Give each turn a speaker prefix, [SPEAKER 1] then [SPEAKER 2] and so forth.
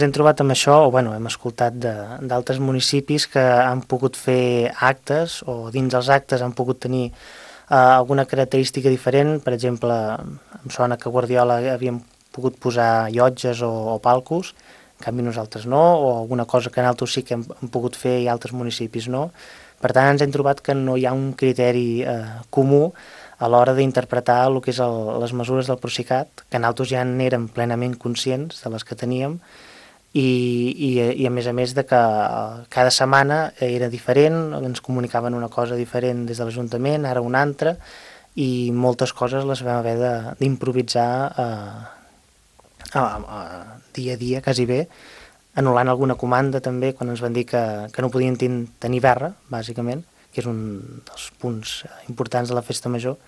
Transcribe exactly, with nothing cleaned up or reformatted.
[SPEAKER 1] Hem trobat amb això, o bueno, hem escoltat d'altres municipis que han pogut fer actes o dins els actes han pogut tenir eh, alguna característica diferent. Per exemple, em sona que a Guardiola havíem pogut posar llotges o, o palcos, en canvi nosaltres no, o alguna cosa que nosaltres sí que hem, hem pogut fer i altres municipis no. Per tant, ens hem trobat que no hi ha un criteri eh, comú a l'hora d'interpretar el que és el, les mesures del Procicat, que nosaltres ja n'érem plenament conscients de les que teníem, i, i, i a més a més de que cada setmana era diferent, ens comunicaven una cosa diferent des de l'Ajuntament, ara una altra, i moltes coses les vam haver d'improvisar eh, a, a, dia a dia, quasi bé, anul·lant alguna comanda també quan ens van dir que, que no podien ten, tenir verra, bàsicament, que és un dels punts importants de la festa major,